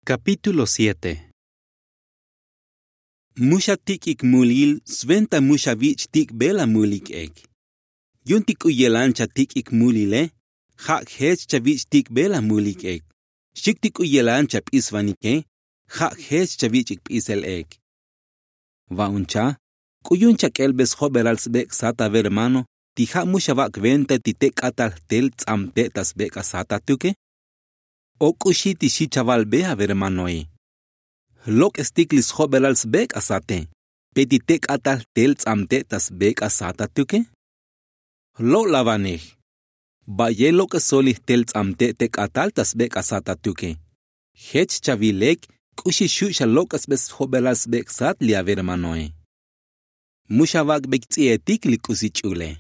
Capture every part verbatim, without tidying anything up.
Kapítulo siete. Mu xa tik'ik mulil sventa mu xa vich' tik'be la mulik ek. Yu'un ti k'u yelan xa tik'ik mulile, ja' jech xa vich' tik'be la mulik ek. Xchi'uk ti k'u yelan xa p'isvanike, ja' jech xa vich'ik p'isel ek. Va'un cha k'u yu'un xa k'elbe sjobelal sbek' sat avermano ti ja' mu xa vak' venta ti te k'atal jtel ts'amte' ta sbek' asat atuke? O k'uxi ti xi chavalbe avermanoe? Jlok'estik li sjobelal sbek' asate, pe ti te k'atal jtel ts'amte' ta sbek' asat atuke? Jlo'lavanej, ba'ye lok'esol li jtel ts'amte' te k'atal ta sbek' asat atuke. Jech chavil lek k'uxi xu' xa lok'esbe sjobelal sbek' sat li avermanoe. Mu xa vak'beik ts'i'etik li k'usi ch'ule.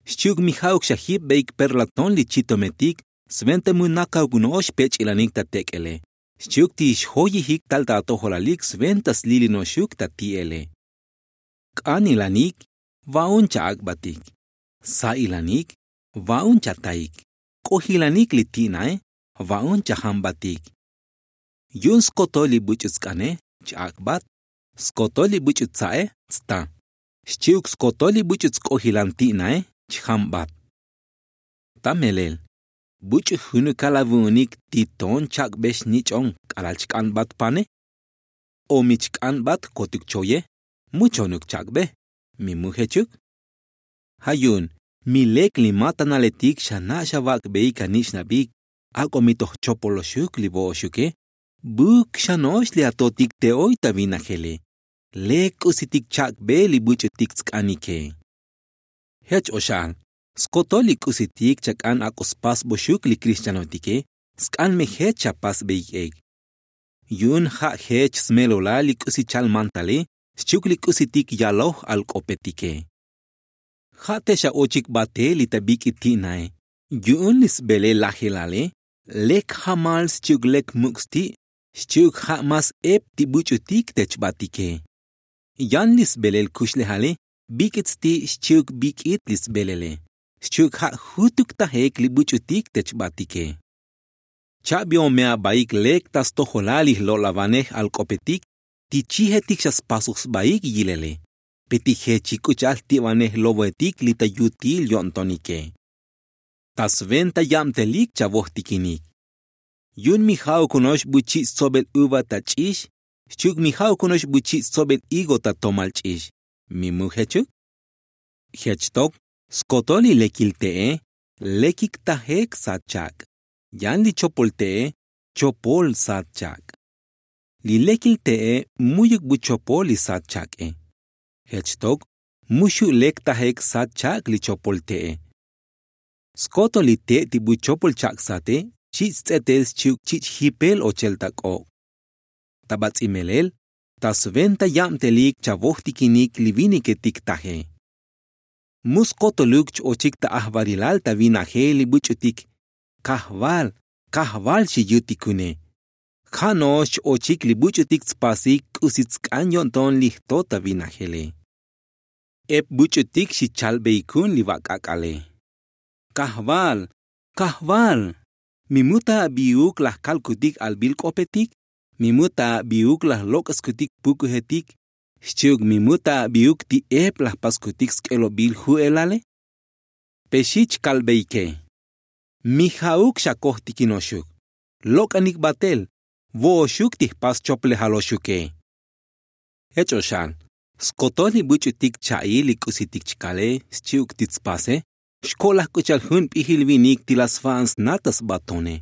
Xchi'uk mi ja'uk xa jipbeik perlaton li chitometik sventa mu nakauk no'ox pech'ilanik ta tek'ele. Xchi'uk ti xjoyijik tal ta atojolalik sventa slili no'oxuk ta ti'ele. K'anilanik, va'un cha ak'batik. Sa'ilanik, va'un cha taik. K'ojilanik li ti'nae, va'un cha jambatik. Yu'un skotol li buch'u tsk'ane, ch-ak'bat. Skotol li buch'u tsa'e, sta. Xchi'uk skotol li buch'u tsk'ojilan ti'nae, ch-jambat. Ta melel, buch'u junukal avu'unik ti toon chak'be xnich'on k'alal chk'anbat pane? O mi chk'anbat kotuk choye, mu chonuk chak'be, mi mu jechuk? Ja' yu'un mi lek li matanaletik xa na' xa vak'beik anich'nabik, ak'o mi toj chopoloxuk li vo'oxuke, buk xa no'ox li atotik te oy ta vinajele. Lek k'usitik chak'be li buch'utik tsk'anike. Jech o xa'al, skotol li k'usitik chak'an ak'o spasboxuk li krixtianotike, sk'an me jech xa pasbeik ek. Yu'un ja' jech smelolal li k'usi chal mantale, xchi'uk li k'usitik yaloj alk'opetike. Ja' te xa ochik batel li ta bik'it ti'nae, yu'un li sbelel lajelale, lek jamal xchi'uk lek muk' sti', xchi'uk ja' mas ep ti buch'utik te chbatike. Yan li sbelel kuxlejale, bik'it sti' xchi'uk bik'it li sbelele, xchi'uk ja' jutuk tajek li buch'utik te chbatike. Chabion me abaik lek ta stojolal li jlo'lavanej alk'opetik, ti chijetik xa spasoj sbaik yilele, pe ti jechik k'u cha'al jti'vanej lovoetik li ta yutil yo'ntonike. Ta sventa yabtelik chavojtikinik. Yu'un mi ja'uk ono'ox buchich' stsobel uva ta ch'ix, xchi'uk mi ja'uk ono'ox buchich' stsobel higo ta tomal ch'ix, mi mu jechuk? Jech tok, skotol li lekil te'e, lekik tajek sat chak'. Yan li chopol te'e, chopol sat chak'. Li lekil te'e, mu'yuk bu chopol li sat chak'e. Jech tok, mu xu' lek tajek sat chak' li chopol te'e. Skotol li te' ti bu chopol chak' sate, chich' ts'etel xchi'uk chich' jipel ochel ta k'ok'. Ta bats'i melel, ta sventa yabtelik chavojtikinik li viniketik taje. Mu skotoluk ch-ochik ta ajvalilal ta vinajel li buch'utik, kajval, kajval xi yutikune. Ja' no'ox ch-ochik li buch'utik tspasik k'usi tsk'an yo'nton li jto ta vinajele. Ep buch'utik xi chalbeikun li vak' ak'ale. Kajval, kajval, mi mu ta abiuk laj kalkutik albil k'opetik? Mi mu ta abiuk laj lok'eskutik pukujetik? Xchi'uk mi mu ta abiuk ti ep laj paskutik sk'elobil ju'elale? Pe xi chkalbeike. Mi ja'uk xa kojtikinoxuk. Lok'anik batel, vo'oxuk ti jpas choplejaloxuke. Jech o xa'al, skotol li buch'utik cha'il li k'usitik chkale, xchi'uk ti tspase, xko'laj k'u cha'al jun p'ijil vinik ti la sva'an sna ta sbatone.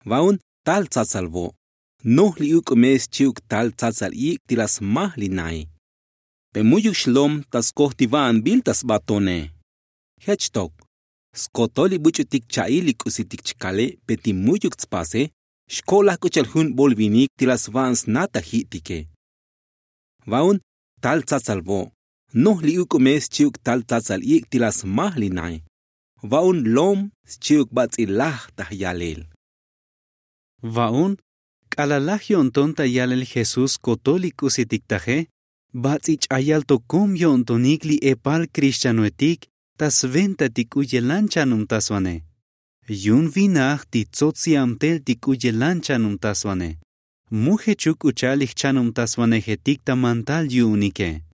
Va'un tal tsatsal vo', noj li uk'ume xchi'uk tal tsatsal ik' ti la smaj li nae. Pe mu'yuk xlom ta skoj ti va'anbil ta sbatone. Jech tok, skotol li buch'utik cha'il li k'usitik chkale pe ti mu'yuk tspase, xko'laj k'u cha'al jun bol vinik ti la sva'an sna ta ji'tike. Va'un tal tsatsal vo', noj li uk'ume xchi'uk tal tsatsal ik' ti la smaj li nae. Va'un lom xchi'uk bats'i laj ta jyalel. Va'un, k'alal laj yo'nton ta yalel jesús skotol li k'usitik taje, bats'i ch'ayal tokom yo'ntonik li epal krixtianoetik ta sventa ti k'u yelan chanumtasvane. Yu'un vinaj ti tsots yabtel ti k'u yelan chanumtasvane. Mu jechuk k'u cha'al li jchanubtasvanejetik ta mantal yu'unike.